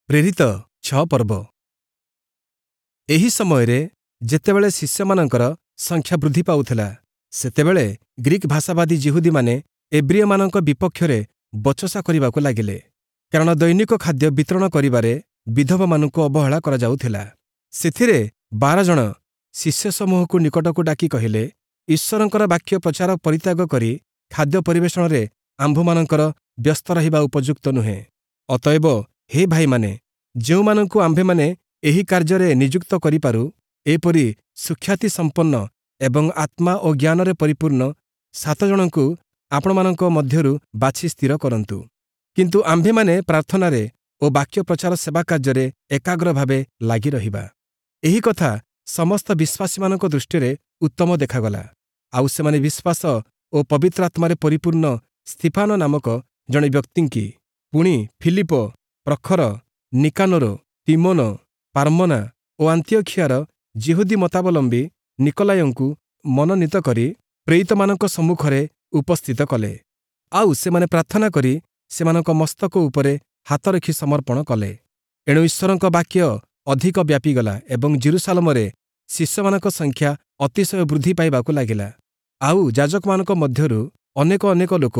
ପ୍ରେରିତ 6 ପର୍ବ। ଏହି ସମୟରେ ଯେତେବେଳେ ଶିଷ୍ୟମାନଙ୍କର ସଂଖ୍ୟା ବୃଦ୍ଧି ପାଉଥିଲା, ସେତେବେଳେ ଗ୍ରୀକ୍ ଭାଷାବାଦୀ ଯିହୁଦୀମାନେ ଏବ୍ରୀୟମାନଙ୍କ ବିପକ୍ଷରେ ବଚସା କରିବାକୁ ଲାଗିଲେ, କାରଣ ଦୈନିକ ଖାଦ୍ୟ ବିତରଣ କରିବାରେ ବିଧବାମାନଙ୍କୁ ଅବହେଳା କରାଯାଉଥିଲା। ସେଥିରେ 12 ଜଣ ଶିଷ୍ୟସମୂହକୁ ନିକଟକୁ ଡାକି କହିଲେ, ଈଶ୍ୱରଙ୍କର ବାକ୍ୟ ପ୍ରଚାର ପରିତ୍ୟାଗ କରି ଖାଦ୍ୟ ପରିବେଷଣରେ ଆମ୍ଭମାନଙ୍କର ବ୍ୟସ୍ତ ରହିବା ଉପଯୁକ୍ତ ନୁହେଁ। ଅତଏବ ହେ ଭାଇମାନେ, ଯେଉଁମାନଙ୍କୁ ଆମ୍ଭେମାନେ ଏହି କାର୍ଯ୍ୟରେ ନିଯୁକ୍ତ କରିପାରୁ, ଏପରି ସୁଖ୍ୟାତି ସମ୍ପନ୍ନ ଏବଂ ଆତ୍ମା ଓ ଜ୍ଞାନରେ ପରିପୂର୍ଣ୍ଣ 7 ଜଣଙ୍କୁ ଆପଣମାନଙ୍କ ମଧ୍ୟରୁ ବାଛି ସ୍ଥିର କରନ୍ତୁ। କିନ୍ତୁ ଆମ୍ଭେମାନେ ପ୍ରାର୍ଥନାରେ ଓ ବାକ୍ୟ ପ୍ରଚାର ସେବା କାର୍ଯ୍ୟରେ ଏକାଗ୍ର ଭାବେ ଲାଗି ରହିବା। ଏହି କଥା ସମସ୍ତ ବିଶ୍ୱାସୀମାନଙ୍କ ଦୃଷ୍ଟିରେ ଉତ୍ତମ ଦେଖାଗଲା। ଆଉ ସେମାନେ ବିଶ୍ୱାସ ଓ ପବିତ୍ର ଆତ୍ମାରେ ପରିପୂର୍ଣ୍ଣ ସ୍ତିଫାନ ନାମକ ଜଣେ ବ୍ୟକ୍ତିଙ୍କି, ପୁଣି ଫିଲିପ, ପ୍ରଖର, ନିକାନୋର, ତିମୋନ, ପାର୍ମନା ଓ ଆନ୍ତିଓଖିଆର ଯିହୁଦୀ ମତାବଲମ୍ବୀ ନିକୋଲାୟଙ୍କୁ ମନୋନୀତ କରି ପ୍ରେରିତମାନଙ୍କ ସମ୍ମୁଖରେ ଉପସ୍ଥିତ କଲେ। ଆଉ ସେମାନେ ପ୍ରାର୍ଥନା କରି ସେମାନଙ୍କ ମସ୍ତକ ଉପରେ ହାତ ରଖି ସମର୍ପଣ କଲେ। ଏଣୁ ଈଶ୍ୱରଙ୍କ ବାକ୍ୟ ଅଧିକ ବ୍ୟାପିଗଲା ଏବଂ ଯିରୂଶାଲମରେ ଶିଷ୍ୟମାନଙ୍କ ସଂଖ୍ୟା ଅତିଶୟ ବୃଦ୍ଧି ପାଇବାକୁ ଲାଗିଲା। ଆଉ ଯାଜକମାନଙ୍କ ମଧ୍ୟରୁ ଅନେକ ଅନେକ ଲୋକ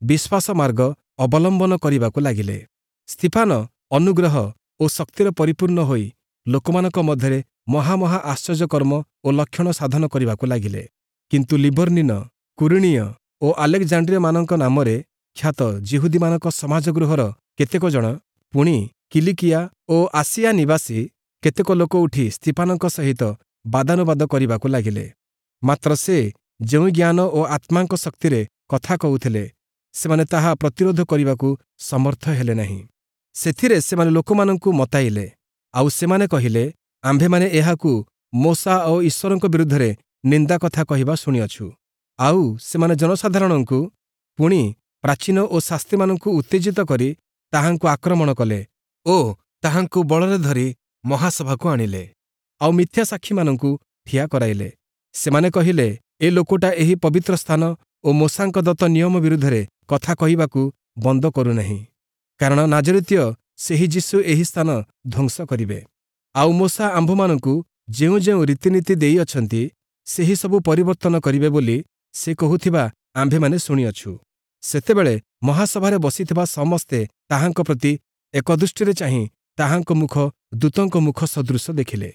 ବିଶ୍ୱାସ ମାର୍ଗ ଅବଲମ୍ବନ କରିବାକୁ ଲାଗିଲେ। ସ୍ତିଫାନ ଅନୁଗ୍ରହ ଓ ଶକ୍ତିରେ ପରିପୂର୍ଣ୍ଣ ହୋଇ ଲୋକମାନଙ୍କ ମଧ୍ୟରେ ମହାମହା ଆଶ୍ଚର୍ଯ୍ୟକର୍ମ ଓ ଲକ୍ଷଣ ସାଧନ କରିବାକୁ ଲାଗିଲେ। କିନ୍ତୁ ଲିବର୍ଣ୍ଣିନ, କୁରିଣୀୟ ଓ ଆଲେକ୍ଜାଣ୍ଡ୍ରିୟମାନଙ୍କ ନାମରେ ଖ୍ୟାତ ଯିହୁଦୀମାନଙ୍କ ସମାଜଗୃହର କେତେକ ଜଣ, ପୁଣି କିଲିକିଆ ଓ ଆସିଆ ନିବାସୀ କେତେକ ଲୋକ ଉଠି ସ୍ତିଫାନଙ୍କ ସହିତ ବାଦାନୁବାଦ କରିବାକୁ ଲାଗିଲେ। ମାତ୍ର ସେ ଯେଉଁ ଜ୍ଞାନ ଓ ଆତ୍ମାଙ୍କ ଶକ୍ତିରେ କଥା କହୁଥିଲେ, ସେମାନେ ତାହା ପ୍ରତିରୋଧ କରିବାକୁ ସମର୍ଥ ହେଲେ ନାହିଁ। ସେଥିରେ ସେମାନେ ଲୋକମାନଙ୍କୁ ମତାଇଲେ। ଆଉ ସେମାନେ କହିଲେ, ଆମ୍ଭେମାନେ ଏହାକୁ ମୋଶା ଓ ଈଶ୍ୱରଙ୍କ ବିରୁଦ୍ଧରେ ନିନ୍ଦା କଥା କହିବା ଶୁଣିଅଛୁ। ଆଉ ସେମାନେ ଜନସାଧାରଣଙ୍କୁ, ପୁଣି ପ୍ରାଚୀନ ଓ ଶାସ୍ତ୍ରୀମାନଙ୍କୁ ଉତ୍ତେଜିତ କରି ତାହାଙ୍କୁ ଆକ୍ରମଣ କଲେ ଓ ତାହାଙ୍କୁ ବଳରେ ଧରି ମହାସଭାକୁ ଆଣିଲେ। ଆଉ ମିଥ୍ୟା ସାକ୍ଷୀମାନଙ୍କୁ ଠିଆ କରାଇଲେ। ସେମାନେ କହିଲେ, ଏ ଲୋକଟା ଏହି ପବିତ୍ର ସ୍ଥାନ ଓ ମୋଶାଙ୍କ ଦତ୍ତ ନିୟମ ବିରୁଦ୍ଧରେ କଥା କହିବାକୁ ବନ୍ଦ କରୁନାହିଁ। କାରଣ ନାଜରିତୀୟ ସେହି ଯୀଶୁ ଏହି ସ୍ଥାନ ଧ୍ୱଂସ କରିବେ। ଆଉ ମୋଶା ଆମ୍ଭମାନଙ୍କୁ ଯେଉଁ ଯେଉଁ ରୀତିନୀତି ଦେଇଅଛନ୍ତି, ସେହି ସବୁ ପରିବର୍ତ୍ତନ କରିବେ ବୋଲି ସେ କହୁଥିବା ଆମ୍ଭେମାନେ ଶୁଣିଅଛୁ। ସେତେବେଳେ ମହାସଭାରେ ବସିଥିବା ସମସ୍ତେ ତାହାଙ୍କ ପ୍ରତି ଏକଦୃଷ୍ଟିରେ ଚାହିଁ ତାହାଙ୍କ ମୁଖ ଦୂତଙ୍କ ମୁଖ ସଦୃଶ ଦେଖିଲେ।